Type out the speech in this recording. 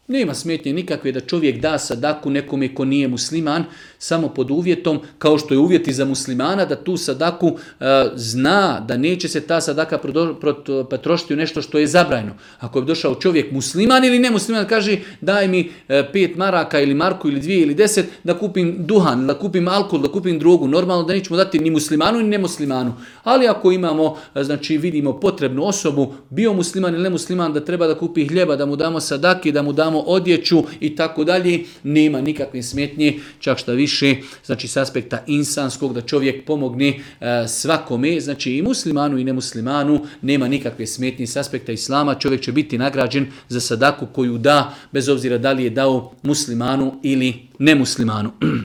Nema smetnje nikakve da čovjek da sadaku nekome ko nije musliman, samo pod uvjetom, kao što je uvjet i za muslimana, da tu sadaku zna da neće se ta sadaka potrošiti u nešto što je zabranjeno. Ako je došao čovjek musliman ili nemusliman, kaže daj mi 5 maraka ili marku ili 2 ili 10 da kupim duhan, da kupim alkohol, da kupim drogu, normalno da nećemo dati ni muslimanu ni nemuslimanu. Ali ako imamo, znači vidimo potrebnu osobu, bio musliman ili nemusliman, da treba da kupi hljeba, da mu damo sadaki, da mu damo odjeću i tako dalje, nema nikakve smetnje, čak šta više, znači s aspekta insanskog, da čovjek pomogne svakome, znači i muslimanu i nemuslimanu, nema nikakve smetnje s aspekta islama, čovjek će biti nagrađen za sadaku koju da, bez obzira da li je dao muslimanu ili nemuslimanu.